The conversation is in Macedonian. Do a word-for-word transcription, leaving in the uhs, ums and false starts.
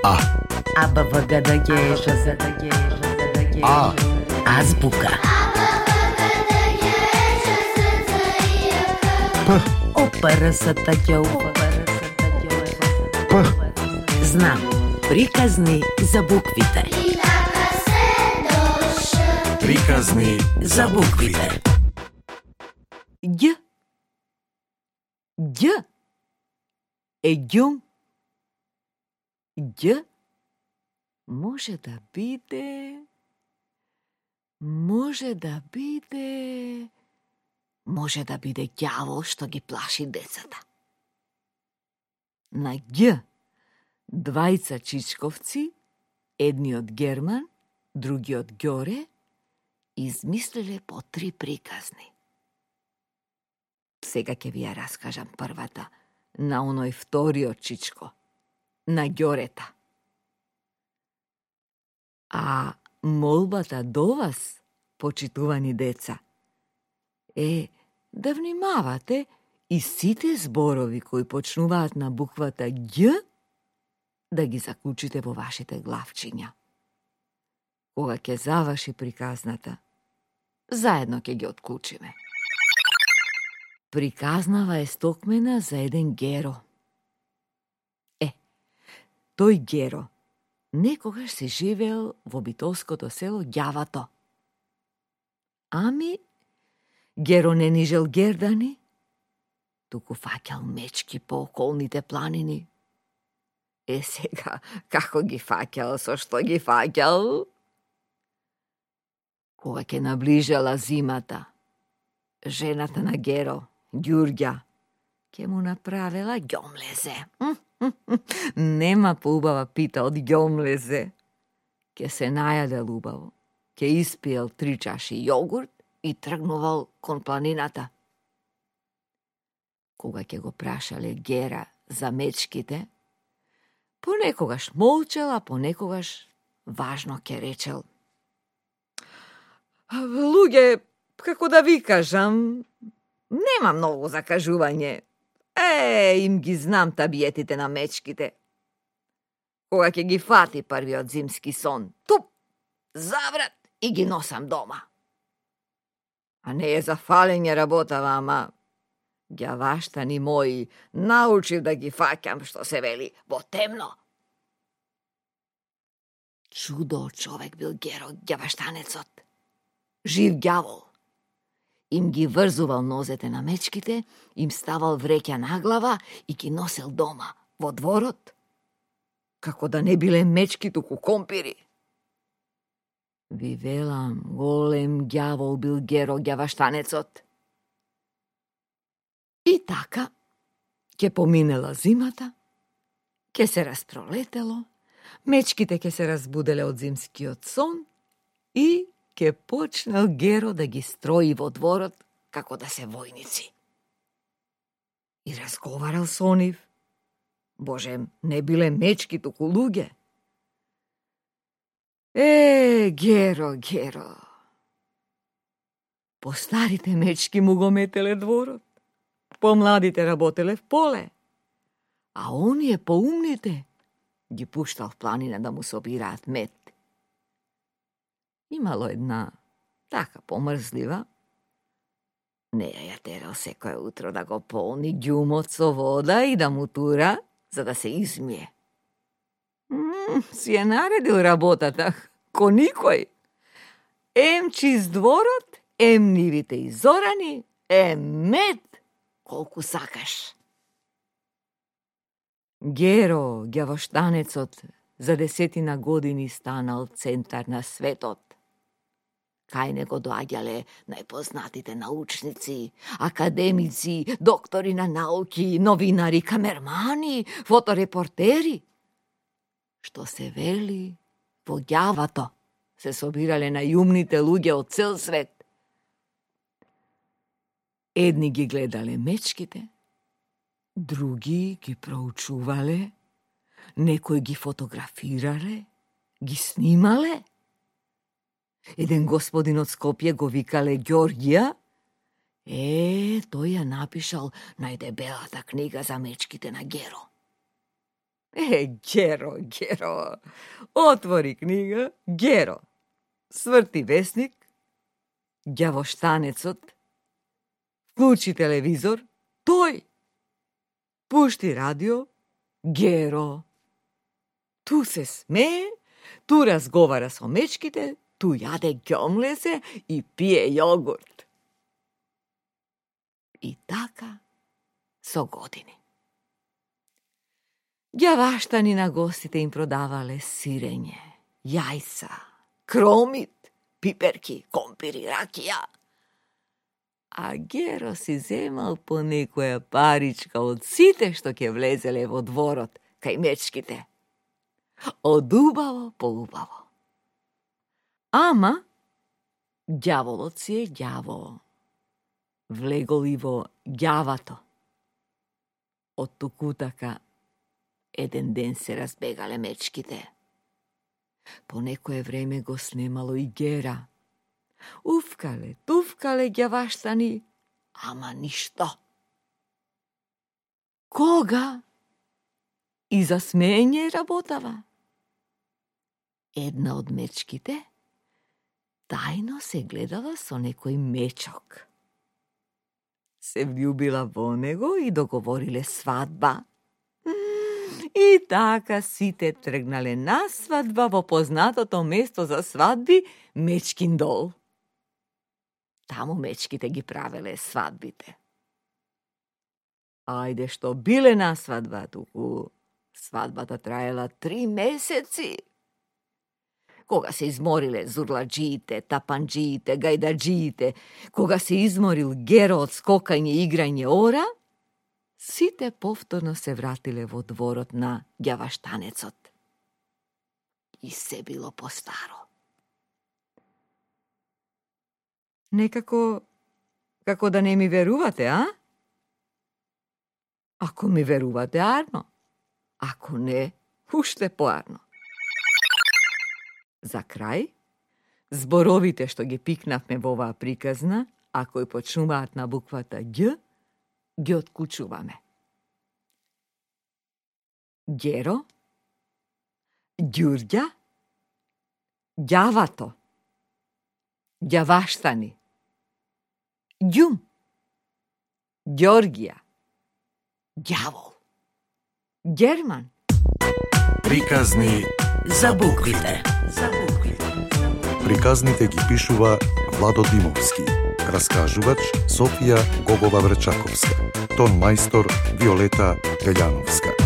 А. А, Б, В, Г, Д, Г, Ш, З, Д, Г, Ш, З, Д, Г. А. Азбука. П. О, П, Р, С, Т, Қ, У, П, Р, С, Т, Қ, У, П. Знам. Приказни за буквите. Приказни За буквите. Ѓ. Ѓ. Еѓум. Ѓ може да биде, може да биде, може да биде ѓавол што ги плаши децата. На Ѓ двајца чичковци, едниот Герман, другиот Ѓоре, измислиле по три приказни. Сега ќе ви ја раскажам првата, на оној вториот чичко, на Ѓорета. А молбата до вас, почитувани деца, е да внимавате и сите зборови кои почнуваат на буквата Ѓ да ги заклучите во вашите главчиња. Кога ќе заврши приказната, заедно ќе ги отклучиме. Приказнава е стокмена за еден Геро. Е, тој Геро некогаш се живеел во битолското село Ѓавато. Ами, Геро не нижел гердани, туку фаќал мечки по околните планини. Е, сега, како ги фаќал, со што ги фаќал? Кога ќе наближала зимата, жената на Геро, Ѓурѓа, ќе му направила ѓомлезе. Нема поубава пита од ѓомлезе. Ке се најадел убаво, ке испиел три чаши јогурт и тргнувал кон планината. Кога ќе го прашале Гера за мечките, понекогаш молчел, а понекогаш важно ке речел: луѓе, како да ви кажам, нема многу закажување. Е, им ги знам табиетите на мечките. Кога ќе ги фати првиот зимски сон, туп, заврат и ги носам дома. А не е за фалење работава, ама ѓаваштани мои, научив да ги фаќам, што се вели, во темно. Чудо човек бил Геро ѓаваштанецот. Жив ѓавол. Им ги врзувал нозете на мечките, им ставал вреќа на глава и ги носел дома, во дворот. Како да не биле мечки, туку компири. Ви велам, голем ѓавол бил Геро ѓаваштанецот. И така, ке поминела зимата, ке се распролетело, мечките ке се разбуделе од зимскиот сон и ке почнал Геро да ги строи во дворот како да се војници. И разговарал со нив. Боже, не биле мечки, туку луѓе. Е, Геро, Геро. Постарите мечки му го метеле дворот, помладите работеле в поле, а оние поумните ги пуштал в планина да му собираат мет. Имало една така помрзлива, не ја ја терал секој утро да го полни ѓумот со вода и да му тура, за да се измие. М, си е наредил работата, ко никој. Ем чист дворот, ем нивите изорани, ем мед, колку сакаш. Геро, ѓавоштанецот, за десетина години станал центар на светот. Кај него доаѓале најпознатите научници, академици, доктори на науки, новинари, камермани, фоторепортери. Што се вели, во Ѓавато се собирале најумните луѓе од цел свет. Едни ги гледале мечките, други ги проучувале, некои ги фотографирале, ги снимале. Еден господин од Скопје го викале Ѓорѓија. Е, тој ја напишал најдебелата книга за мечките на Геро. Е, Геро, Геро, отвори книга, Геро, сврти весник, ѓавоштанецот, вклучи телевизор, тој, пушти радио, Геро. Ту се смее, ту разговара со мечките, ту јаде ѓомлесе и пие јогурт. И така со години. Ѓаваштани на гостите им продавале сирење, јајца, кромит, пиперки, компири, ракија. А Геро си земал по некоја паричка од сите што ќе влезеле во дворот кај мечките. Од убаво по убаво. Ама, ѓаволот си е ѓавол. Влегол и во ѓавато. Од тукутака еден ден се разбегале мечките. По некое време го снемало и Гера. Уфкале, туфкале ѓаваштани, ама ништо. Кога? И за смење работава. Една од мечките тајно се гледала со некој мечок. Се влюбила во него и договориле свадба. И така сите тргнале на свадба во познатото место за свадби Мечкин дол. Таму мечките ги правеле свадбите. Ајде што биле на свадба, туку свадбата траела три месеци. Кога се измориле зурладжиите, тапанджиите, гајдаджиите, кога се изморил Геро од скокање и играње ора, сите повторно се вратиле во дворот на ѓаваштанецот. И се било постаро. Некако, како да не ми верувате, а? Ако ми верувате, арно. Ако не, уште поарно. За крај, зборовите што ги пикнавме во оваа приказна, а кои почнуваат на буквата Ѓ, ги отклучуваме. Геро, Ѓурѓа, ѓавато, ѓаваштани, ѓум, Ѓоргија, ѓавол, Герман. Приказни за буквите. За буквите. Приказните ги пишува Владо Димовски. Раскажувач Софија Гогова Врчаковска. Тон мајстор Виолета Велјановска.